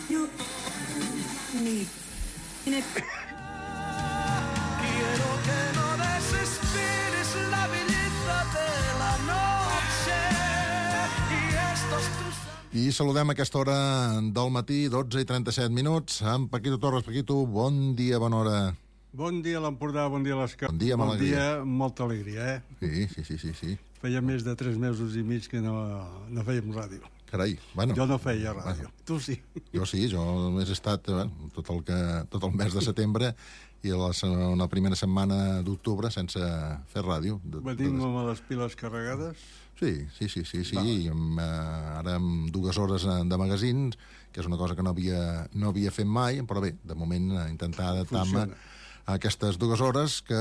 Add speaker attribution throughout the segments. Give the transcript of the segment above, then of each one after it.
Speaker 1: You need
Speaker 2: Quiero que no desesperes la belleza de la noche y estos tus...
Speaker 3: I saludem a aquesta hora del matí, 12:37 minuts, amb Paquito Torres. Paquito, bon dia, bona hora.
Speaker 4: Bon dia a l'Empordà, bon dia a les Caps.
Speaker 3: Bon dia, amb alegria.
Speaker 4: Bon dia, molta alegria,
Speaker 3: Sí.
Speaker 4: Feia més de 3 mesos i mig que no fèiem ràdio.
Speaker 3: Carai, bueno.
Speaker 4: Jo no feia ràdio, tu sí.
Speaker 3: Jo sí, jo només he estat tot el mes de setembre i la primera setmana d'octubre sense fer ràdio.
Speaker 4: Venim amb les piles carregades?
Speaker 3: Sí. Ara amb 2 hores de magazins, que és una cosa que no havia fet mai, però bé, de moment intentar adaptar-me a aquestes 2 hores que...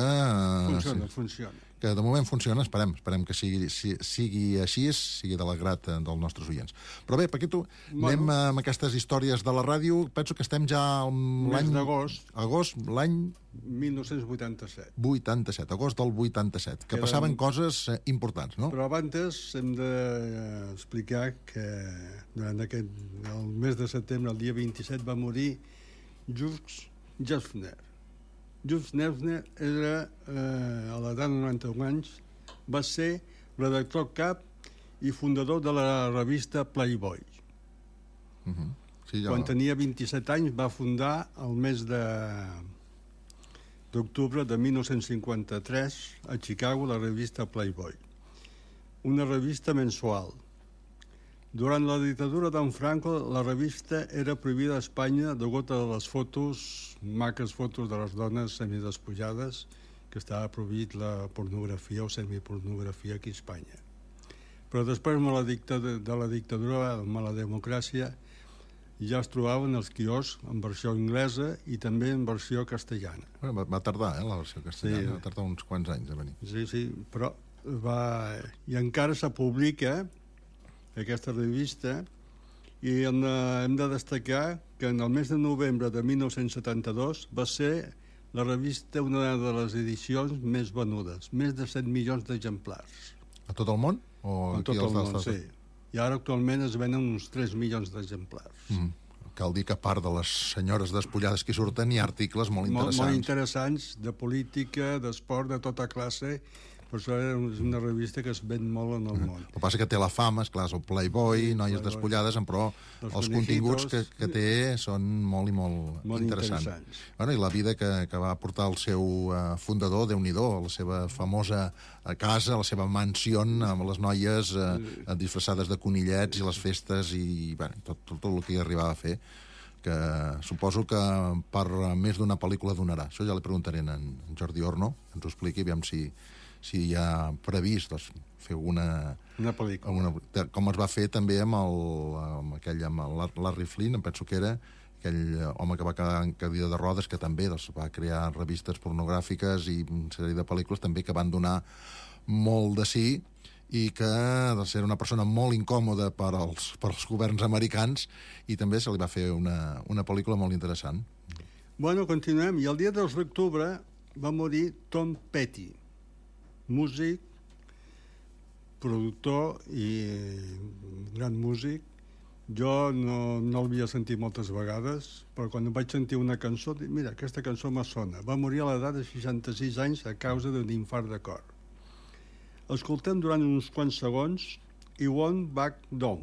Speaker 4: Funciona.
Speaker 3: Que de moment funciona, esperem que sigui així, sigui de l'agrat dels nostres oients. Però bé, Paquito, anem amb aquestes històries de la ràdio. Penso que estem ja
Speaker 4: l'any... Mes d'agost.
Speaker 3: Agost, l'any...
Speaker 4: 1987.
Speaker 3: 87, agost del 87, que passaven coses importants, no?
Speaker 4: Però abans hem d'explicar que durant el mes de setembre, el dia 27, va morir Jules Jeffner. Jules Jeffner era, a l'edat de 91 anys, va ser redactor cap i fundador de la revista Playboy.
Speaker 3: Sí,
Speaker 4: Quan tenia 27 anys va fundar el mes d'octubre de 1953 a Chicago la revista Playboy, una revista mensual. Durant la dictadura d'en Franco, la revista era prohibida a Espanya degut a les maques fotos de les dones semidespullades, que estava prohibit la pornografia o semipornografia aquí a Espanya. Però després de la dictadura, amb la democràcia, ja es trobaven els quioscs en versió anglesa i també en versió castellana.
Speaker 3: Va tardar, la versió castellana, va tardar uns quants anys a venir.
Speaker 4: Sí, però i encara se publica aquesta revista i hem de destacar que en el mes de novembre de 1972 va ser la revista una de les edicions més venudes, més de 7 milions d'exemplars.
Speaker 3: A tot el món?
Speaker 4: A tot el món, sí. I ara actualment es venen uns 3 milions d'exemplars.
Speaker 3: Cal dir que a part de les senyores despullades que hi surten hi ha articles molt interessants.
Speaker 4: Molt interessants, de política, d'esport, de tota classe. Per això és una revista que es ven molt en el món.
Speaker 3: El que passa que té la fama, esclar, és el Playboy, noies despullades, però els continguts que té són molt i molt interessants. Bueno, i la vida que va portar el seu fundador, Déu-n'hi-do, la seva famosa casa, la seva mansió amb les noies disfressades de conillets i les festes i tot el que hi arribava a fer, que suposo que per més d'una pel·lícula donarà. Això ja li preguntaré a en Jordi Orno, que ens ho expliqui, aviam si hi ha previst fer una
Speaker 4: pel·lícula.
Speaker 3: Com es va fer també amb Larry Flynn, em penso que era aquell home que va quedar en cadira de rodes, que també va crear revistes pornogràfiques i una sèrie de pel·lícules també que van donar molt de sí i que de ser una persona molt incòmoda per als governs americans, i també se li va fer una pel·lícula molt interessant.
Speaker 4: Bueno, continuem. I el dia 2 d'octubre va morir Tom Petty, músic, productor i gran músic. Jo no l'havia sentit moltes vegades, però quan vaig sentir una cançó, dic, mira, aquesta cançó me sona. Va morir a l'edat de 66 anys a causa d'un infart de cor. Escoltem durant uns quants segons I Won't Back Down.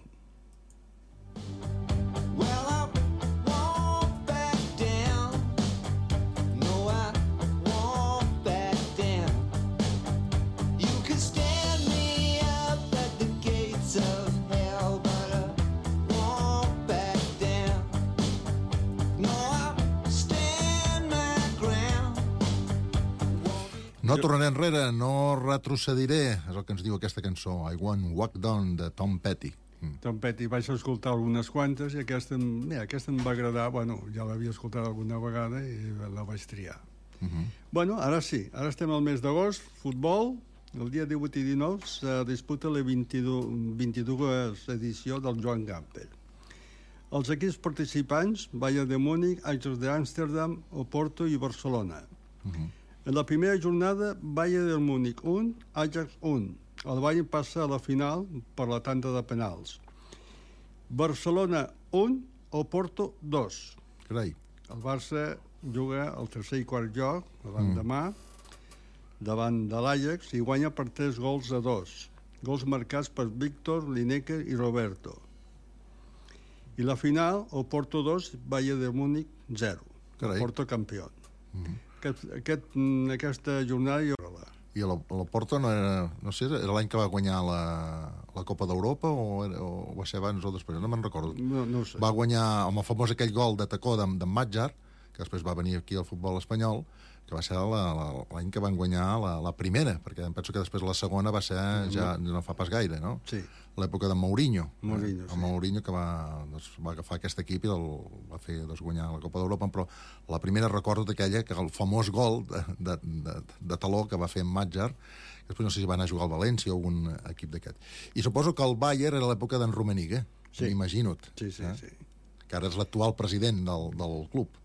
Speaker 3: No tornaré enrere, no retrocediré, és el que ens diu aquesta cançó, I Won't Walk Down, de Tom Petty.
Speaker 4: Tom Petty, vaig escoltar algunes quantes i aquesta em va agradar, bueno, ja l'havia escoltat alguna vegada i la vaig triar. Bueno, ara sí, ara estem al mes d'agost, futbol, el dia 18 i 19 se disputa la 22 edició del Joan Gamper. Els equips participants, Bayern de Múnich, Ajax d'Amsterdam, Oporto i Barcelona. En la primera jornada, Bayern de Múnich 1, Ajax 1. El Bayern passa a la final per la tanda de penals. Barcelona 1, Oporto 2.
Speaker 3: Carai.
Speaker 4: El Barça juga el tercer i quart lloc, l'endemà, davant de l'Ajax, i guanya per 3-2. Gols marcats per Víctor, Lineker i Roberto. I la final, Oporto 2, Bayern de Múnich 0.
Speaker 3: Carai.
Speaker 4: Oporto campió. Aquesta jornada jo...
Speaker 3: I l'Oporto no era... No sé, era l'any que va guanyar la Copa d'Europa o va ser abans o després? No me'n recordo.
Speaker 4: No ho sé.
Speaker 3: Va guanyar amb el famós aquell gol de tacó d'en Matjar, que després va venir aquí al futbol espanyol, que va ser l'any que van guanyar la primera, perquè em penso que després la segona va ser ja no fa pas gaire, no?
Speaker 4: Sí.
Speaker 3: L'època de Mourinho.
Speaker 4: Mourinho,
Speaker 3: sí. Mourinho que va agafar aquest equip i va fer guanyar la Copa d'Europa, però la primera recordo d'aquella, que el famós gol de taló que va fer en Matjar, després no sé si va anar a jugar al València o algun equip d'aquest. I suposo que el Bayern era l'època d'en Rummenigge, m'imagino-'t.
Speaker 4: Sí.
Speaker 3: Que ara és l'actual president del club.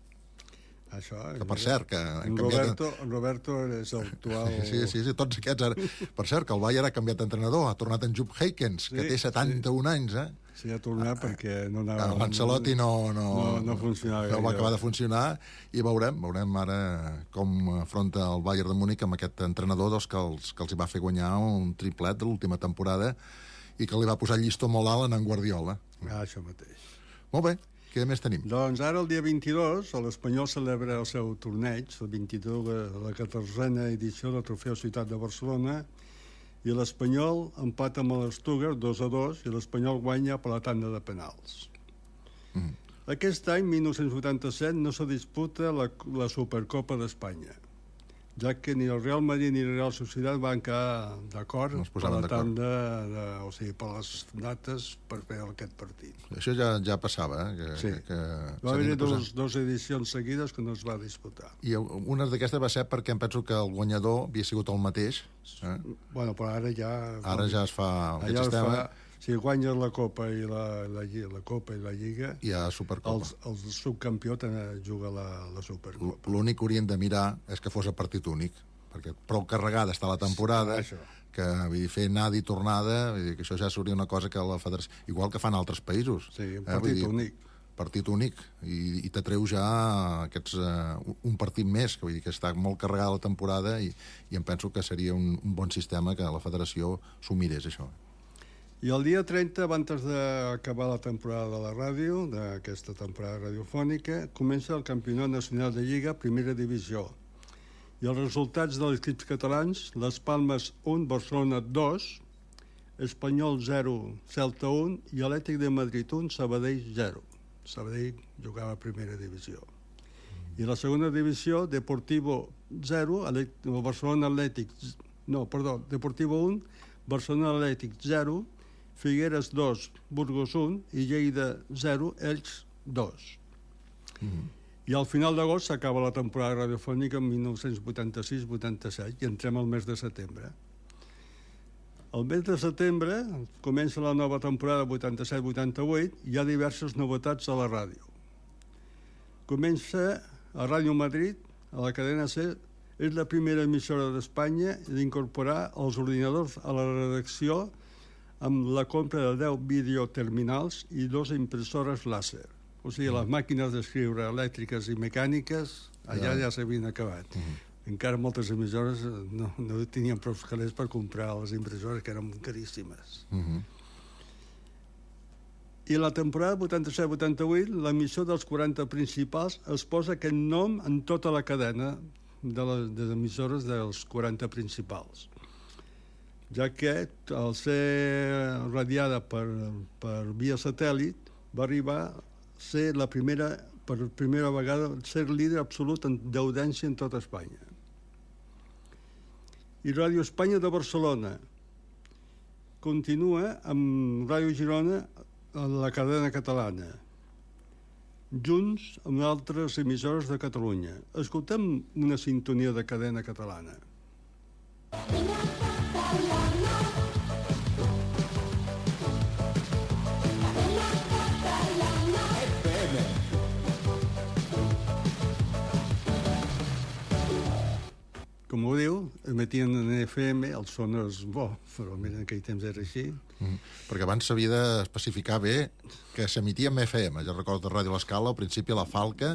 Speaker 4: Això,
Speaker 3: que per cert que
Speaker 4: en Roberto és l'actual...
Speaker 3: Sí, tots aquests ara. Per cert, que el Bayern ha canviat d'entrenador, ha tornat en Jupp Heynckes, que té 71 anys,
Speaker 4: Sí, ha tornat perquè no anava...
Speaker 3: L'Ancelotti no
Speaker 4: funcionava
Speaker 3: no va acabar de funcionar, i veurem ara com afronta el Bayern de Múnich amb aquest entrenador que els hi va fer guanyar un triplet de l'última temporada i que li va posar el llistó molt alt en Guardiola.
Speaker 4: Això mateix.
Speaker 3: Molt bé. Què més tenim?
Speaker 4: Doncs ara, el dia 22, l'Espanyol celebra el seu torneig, el 22, la 14a edició del Trofeu Ciutat de Barcelona, i l'Espanyol empata amb l'Stuttgart 2-2, i l'Espanyol guanya per la tanda de penals. Aquest any, 1987, no se disputa la Supercopa d'Espanya, ja que ni el Real Madrid ni el Real Societat van quedar d'acord per la tanda, o sigui, per les dates per fer aquest partit.
Speaker 3: Això ja passava,
Speaker 4: sí. Va haver dues edicions seguides que no es va disputar.
Speaker 3: I una d'aquestes va ser perquè em penso que el guanyador havia sigut el mateix.
Speaker 4: Bueno, però ara ja...
Speaker 3: Ara ja es fa aquest sistema...
Speaker 4: Si guanyes la Copa i la Copa i la Lliga...
Speaker 3: Hi ha Supercopa.
Speaker 4: El subcampió juga la Supercopa.
Speaker 3: L'únic que haurien de mirar és que fos a partit únic, perquè prou carregada està la temporada, que vull dir, fer anada i tornada, vull dir, que això ja seria una cosa que la federació... Igual que fan altres països.
Speaker 4: Sí, partit únic.
Speaker 3: Partit únic, i t'atreu ja un partit més, que vull dir que està molt carregada la temporada, i em penso que seria un bon sistema que la federació s'ho mirés, això.
Speaker 4: I el dia 30, abans d'acabar la temporada de la ràdio, d'aquesta temporada radiofònica, comença el Campionat Nacional de Lliga, Primera Divisió. I els resultats dels equips catalans: Les Palmes 1, Barcelona 2, Espanyol 0, Celta 1 i Atlètic de Madrid 1, Sabadell 0. Sabadell jugava a Primera Divisió. I la segona divisió, Deportivo 0, Barcelona Atlètic... No, perdó, Deportivo 1, Barcelona Atlètic 0, Figueres 2, Burgos 1 i Lleida 0, Elx 2. I al final d'agost s'acaba la temporada radiofònica en 1986-87 i entrem al mes de setembre. Al mes de setembre comença la nova temporada 87-88 i hi ha diverses novetats a la ràdio. Comença a Ràdio Madrid, a la cadena C, és la primera emissora d'Espanya d'incorporar els ordinadors a la redacció amb la compra de 10 videoterminals i 2 impressores làser. O sigui, les màquines d'escriure elèctriques i mecàniques allà ja s'havien acabat. Encara moltes emissores no tenien prou calés per comprar les impressores, que eren caríssimes. I la temporada 87-88, l'emissió dels 40 principals es posa aquest nom en tota la cadena de les emissores dels 40 principals, ja que al ser radiada per via satèl·lit va arribar a ser per primera vegada ser líder absolut en d'audiència en tota Espanya. I Ràdio Espanya de Barcelona continua amb Ràdio Girona a la cadena catalana, junts amb altres emissores de Catalunya. Escoltem una sintonia de cadena catalana. Com ho diu, emetien en FM, el son és bo, però en aquell temps era així.
Speaker 3: Perquè abans s'havia d'especificar bé que s'emetia en FM. Jo recordo de Ràdio L'Escala, al principi la Falca,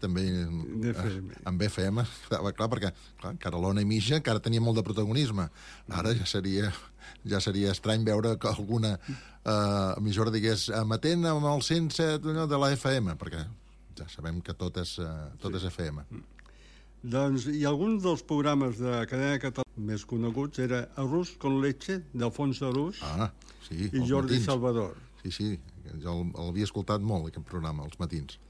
Speaker 3: també en FM. Clar, perquè encara l'Ona i Mitja encara tenia molt de protagonisme. Ara ja seria estrany veure que alguna emissora digués emetent amb el 107 de la FM, perquè ja sabem que tot és FM.
Speaker 4: Doncs, i alguns dels programes de cadena catalana més coneguts era Arrús con leche, d'Alfonso Arús, i Jordi Salvador.
Speaker 3: Sí, jo l'havia escoltat molt, aquest programa, els matins.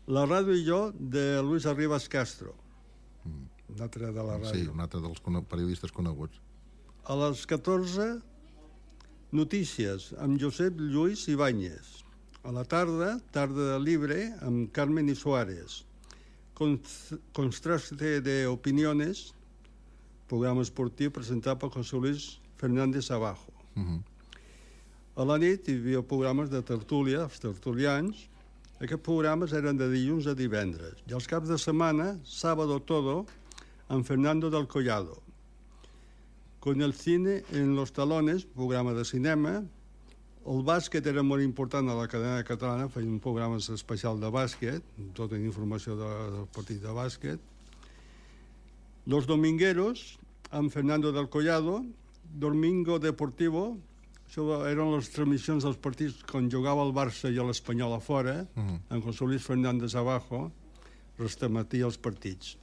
Speaker 4: La ràdio i jo, de Luis Arribas Castro, un altre de la ràdio.
Speaker 3: Sí, un altre dels periodistes coneguts.
Speaker 4: A les 14, Notícies, amb Josep Lluís Ibáñez. A la tarda, Tarda Libre, amb Carmen i Suárez. Contraste de opiniones, programa esportiu presentat per José Luis Fernández Abajo. A la nit hi havia programes de tertúlia, els tertulians. Aquests programes eren de dilluns a divendres. I els caps de setmana, Sábado Todo, amb Fernando del Collado. Con el cine en los talones, programa de cinema. El bàsquet era molt important a la cadena catalana, feien un programa especial de bàsquet, tota informació del partit de bàsquet. Los Domingueros, amb Fernando del Collado. Domingo Deportivo, això eren les transmissions dels partits quan jugava el Barça i l'Espanyol a fora, amb José Luis Fernández Abajo, retransmetia els partits.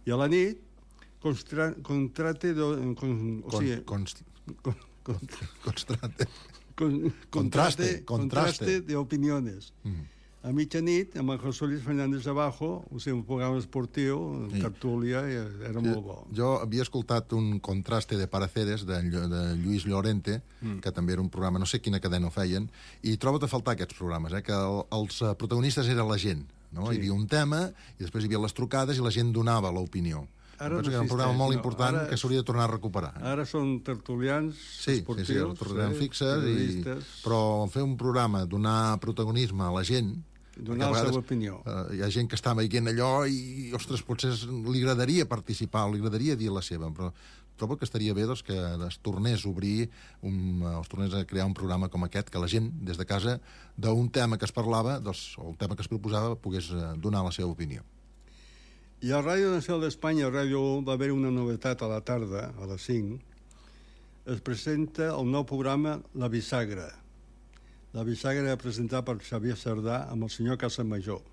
Speaker 4: I a la nit, Contraste de opiniones. A mitjanit, amb el José Luis Fernández Abajo, un programa esportiu, tertúlia, era molt bo.
Speaker 3: Jo havia escoltat un Contraste de Pareceres de Lluís Llorente, que també era un programa, no sé quina cadena ho feien, i trobo a faltar aquests programes, que els protagonistes eren la gent, no? Hi havia un tema, i després hi havia les trucades i la gent donava l'opinió. Penso que era un programa molt important que s'hauria de tornar a recuperar.
Speaker 4: Ara són tertulians esportius.
Speaker 3: Sí, tertulians fixes, però fer un programa, donar protagonisme a la gent...
Speaker 4: Donar la seva opinió.
Speaker 3: Hi ha gent que està veient allò i, ostres, potser li agradaria participar, li agradaria dir la seva, però trobo que estaria bé que es tornés a obrir, es tornés a crear un programa com aquest, que la gent, des de casa, d'un tema que es parlava, o el tema que es proposava, pogués donar la seva opinió.
Speaker 4: I a Ràdio Nacional d'Espanya, a Ràdio 1, va haver una novetat a la tarda, a les 5. Es presenta el nou programa La Bisagra. La Bisagra era presentat per Xavier Sardà amb el senyor Casamajor.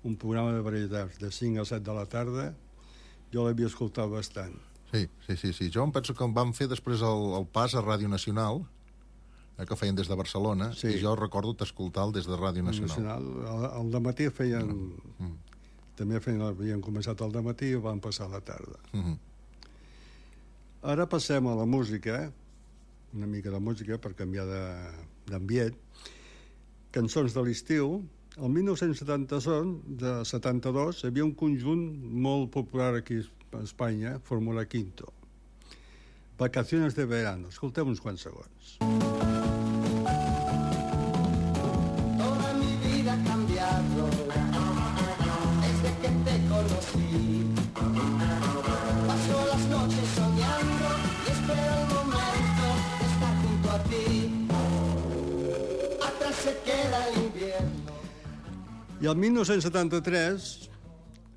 Speaker 4: Un programa de varietats, de 5 a 7 de la tarda. Jo l'havia escoltat bastant.
Speaker 3: Sí. Jo em penso que em van fer després el pas a Ràdio Nacional, que feien des de Barcelona, i jo recordo d'escoltar-lo des de Ràdio Nacional.
Speaker 4: Al dematí feien... També havien començat al dematí i van passar a la tarda. Ara passem a la música, una mica de música per canviar d'ambient. Cançons de l'estiu. El 1972 hi havia un conjunt molt popular aquí a Espanya, Fórmula Quinto. Vacaciones de verano. Escoltem uns quants segons.
Speaker 5: Toda mi vida ha cambiado desde que te conocí. Paso las noches soñando y espero el momento de estar junto a ti. Atrás se queda el invierno.
Speaker 4: I el 1973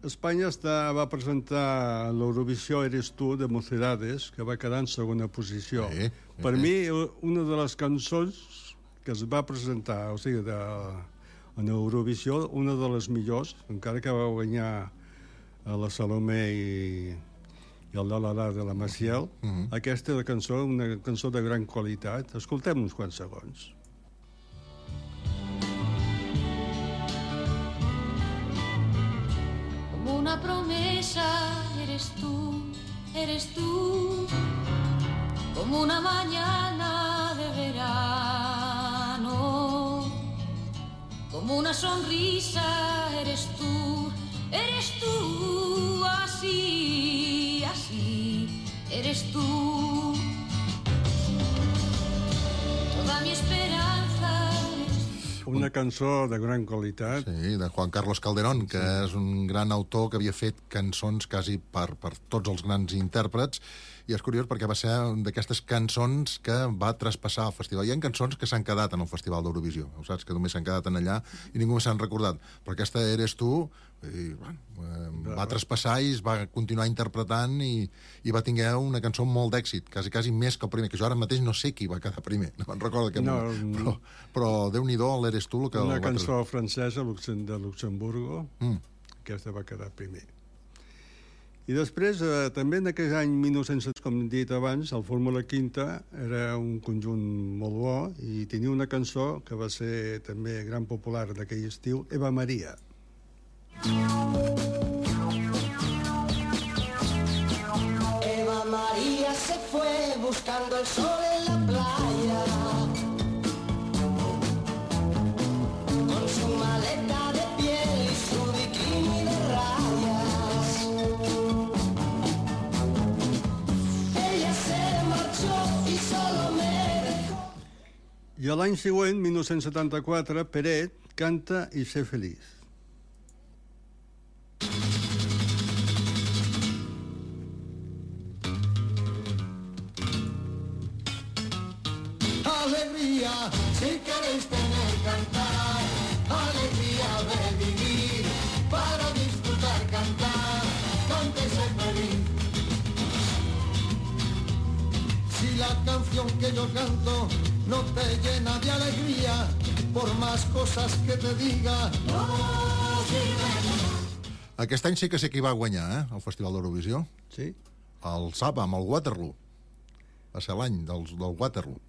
Speaker 4: Espanya va presentar l'Eurovisió Eres tu de Mocedades, que va quedar en segona posició. Per mi, una de les cançons que es va presentar, o sigui, en Eurovisió, una de les millors, encara que va guanyar la Salomé i el La de la Maciel, aquesta cançó, una cançó de gran qualitat. Escoltem uns quants segons.
Speaker 1: Como una promesa eres tú, como una mañana de verano, como una sonrisa eres tú, así, así, eres tú. Toda mi esperanza.
Speaker 4: Una cançó de gran qualitat.
Speaker 3: Sí, de Juan Carlos Calderón, que és un gran autor que havia fet cançons quasi per tots els grans intèrprets, i és curiós perquè va ser d'aquestes cançons que va traspassar el festival. Hi ha cançons que s'han quedat en el Festival d'Eurovisió, ho saps, que només s'han quedat en allà i ningú s'han recordat. Però aquesta Eres tu, i, bueno, va traspassar i es va continuar interpretant i va tinguer una cançó molt d'èxit, quasi més que el primer, que jo ara mateix no sé qui va quedar primer, no me'n recordo aquest moment. Però Déu-n'hi-do, l'Eres tu...
Speaker 4: Una cançó francesa de Luxemburgo, aquesta va quedar primer. I després, també en aquell any 1900, com he dit abans, el Fórmula Quinta era un conjunt molt bo i tenia una cançó que va ser també gran popular d'aquell estiu, Eva Maria.
Speaker 5: Eva María se fue buscando el sol en la playa, con su maleta de piel y su bikini de rayas. Ella se marchó y solo me dejó.
Speaker 4: I a l'any següent, 1974, Peret canta I sé feliç.
Speaker 5: Alegría, si queréis tener cantar, alegría de vivir, para disfrutar cantar, cántese feliz. Si la canción que yo canto no te llena de alegría, por más cosas que te diga, no sirve.
Speaker 3: Aquest any sí que sé qui va guanyar, el Festival d'Eurovisió.
Speaker 4: Sí?
Speaker 3: El Saba, amb el Waterloo. Va ser l'any del Waterloo.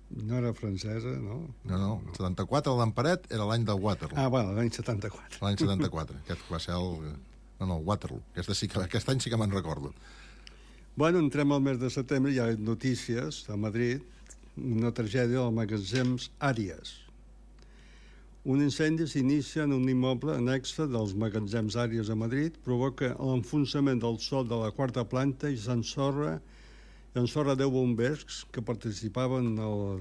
Speaker 4: No era francesa, no?
Speaker 3: No. 74, l'Emperet, era l'any del Waterloo.
Speaker 4: Ah, bueno, l'any 74.
Speaker 3: L'any 74. Aquest va ser el... No, el Waterloo. Aquest any sí que me'n recordo.
Speaker 4: Bueno, entrem al mes de setembre, hi ha notícies a Madrid, una tragèdia del magatzems Àries. Un incendi s'inicia en un immoble annexe dels magatzems Àries a Madrid, provoca l'enfonsament del sòl de la quarta planta i s'ensorra 10 bombers que participaven en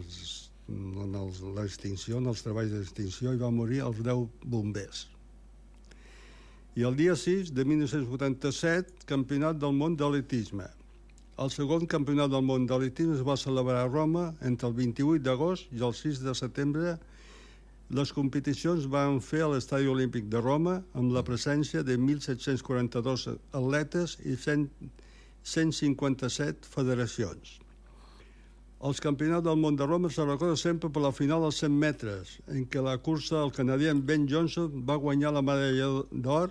Speaker 4: l'extinció, en els treballs d'extinció, i van morir els 10 bombers. I el dia 6 de 1987, Campionat del món d'atletisme. El segon Campionat del món d'atletisme es va celebrar a Roma entre el 28 d'agost i el 6 de setembre. Les competicions van fer a l'Estadi Olímpic de Roma amb la presència de 1.742 atletes i 157 federacions. Els campionats del món de Roma se recorda sempre per la final dels 100 metres, en què la cursa del canadià Ben Johnson va guanyar la medalla d'or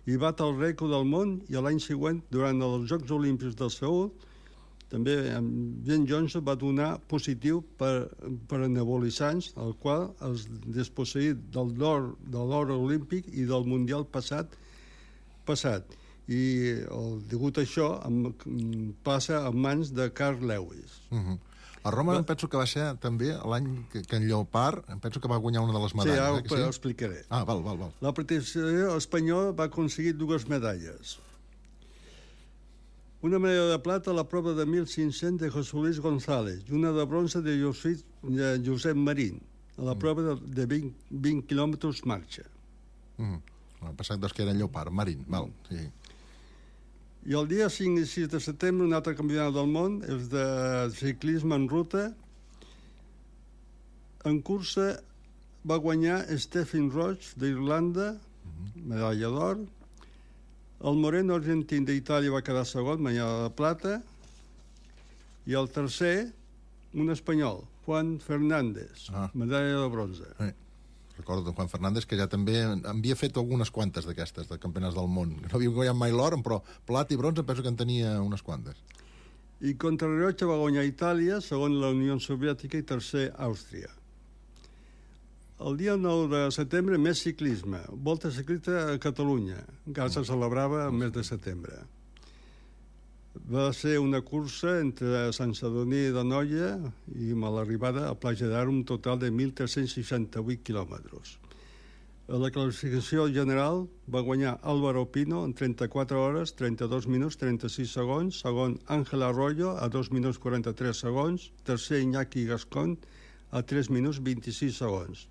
Speaker 4: i bat el rècord del món, i l'any següent, durant els Jocs Olímpics del Seül, també Ben Johnson va donar positiu per anabolitzants, el qual es desposseït de l'or olímpic i del Mundial passat. I degut a això passa en mans de Carl Lewis.
Speaker 3: A Roma em penso que va ser també l'any que en Llopart, em penso que va guanyar una de les medalles.
Speaker 4: Sí, ara ho explicaré.
Speaker 3: Ah, val.
Speaker 4: La participació espanyola va aconseguir 2 medalles. Una medalla de plata a la prova de 1.500 de José Luis González i una de bronze de Josep Marín, a la prova de 20 quilòmetres marxa.
Speaker 3: El passat que era en Llopart, Marín, val, sí.
Speaker 4: I el dia 5 i 6 de setembre, un altre campionat del món, és de ciclisme en ruta. En cursa va guanyar Stephen Roche d'Irlanda, medalla d'or. El Moreno argentí d'Itàlia va quedar segon, medalla de plata. I el tercer, un espanyol, Juan Fernández, medalla de bronze.
Speaker 3: Recordo Juan Fernández, que ja també havia fet algunes quantes d'aquestes, de campionats del món. No havia guanyat mai l'or, però plat i bronze penso que en tenia unes quantes.
Speaker 4: I contrarrellotge va guanyar Itàlia, segon la Unió Soviètica i tercer Àustria. El dia 9 de setembre, més ciclisme. Volta ciclista a Catalunya, encara se celebrava el mes de setembre. Va ser una cursa entre Sant Sadurní d'Anoia i a l'arribada a Platja d'Aro, un total de 1.368 quilòmetres. A la classificació general va guanyar Álvaro Pino en 34 hores, 32 minuts, 36 segons, segon Ángel Arroyo a 2 minuts 43 segons, tercer Iñaki Gascón a 3 minuts 26 segons.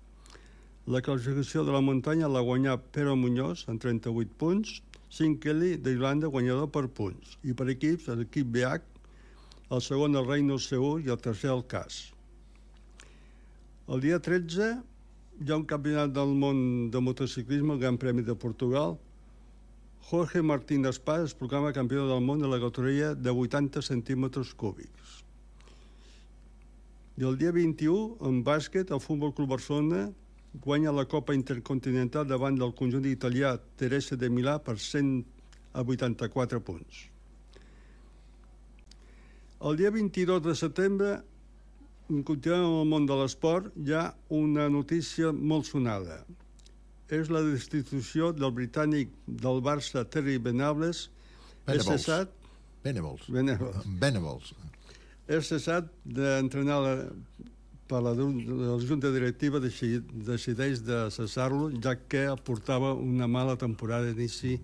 Speaker 4: La classificació de la muntanya la guanyà Pere Muñoz amb 38 punts, Sean Kelly d'Irlanda guanyador per punts, i per equips l'equip BH, el segon el Reynolds Seül i el tercer el CAS. El dia 13 hi ha un campionat del món de motociclisme, el Gran Premi de Portugal. Jorge Martín Espà es proclama campió del món de la categoria de 80 centímetres cúbics. I el dia 21, en bàsquet, el Futbol Club Barcelona guanya la Copa Intercontinental davant del conjunt italià Teresa de Milà per 184 punts. El dia 22 de setembre, continuant amb el món de l'esport, hi ha una notícia molt sonada. És la destitució del britànic del Barça, Terry Venables.
Speaker 3: Venables.
Speaker 4: És cessat d'entrenar per la Junta Directiva decideix de cessar-lo, ja que portava una mala temporada d'inici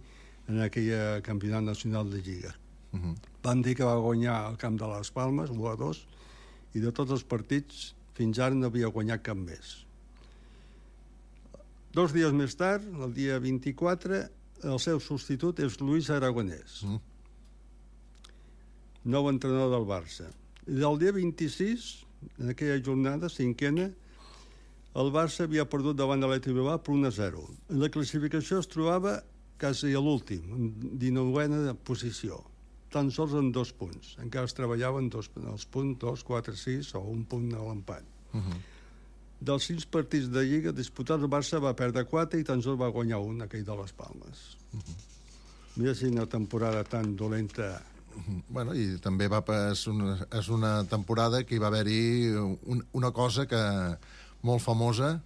Speaker 4: en aquell campionat nacional de Lliga. Van dir que va guanyar el camp de les Palmes, 1-2, i de tots els partits fins ara no havia guanyat cap més. 2 dies més tard, el dia 24, el seu substitut és Luis Aragonès, nou entrenador del Barça. I el dia 26, en aquella jornada, cinquena, el Barça havia perdut davant de l'Atlètic Bilbao per 1-0. En la classificació es trobava quasi a l'últim, en 19a posició, tan sols en 2 punts. Encara es treballaven els punts 2, 4, 6 o un punt a l'empat. Dels 5 partits de Lliga disputats, el Barça va perdre 4 i tan sols va guanyar un, aquell de les Palmes. Mira si una temporada tan dolenta.
Speaker 3: Bueno, i també és una temporada que hi va haver-hi una cosa que molt famosa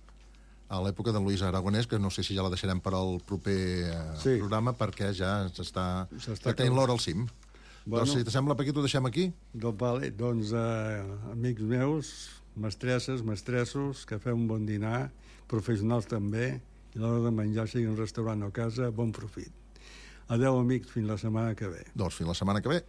Speaker 3: a l'època de Luis Aragonès, que no sé si ja la deixarem per al proper programa, perquè ja s'està tenint l'hora al cim. Doncs si t'assembla, Paquito, ho deixem aquí?
Speaker 4: Doncs, amics meus, mestresses, mestressos, que feu un bon dinar, professionals també, i a l'hora de menjar, sigui un restaurant o casa, bon profit. Adéu, amics, fins la setmana que ve.
Speaker 3: Doncs fins la setmana que ve.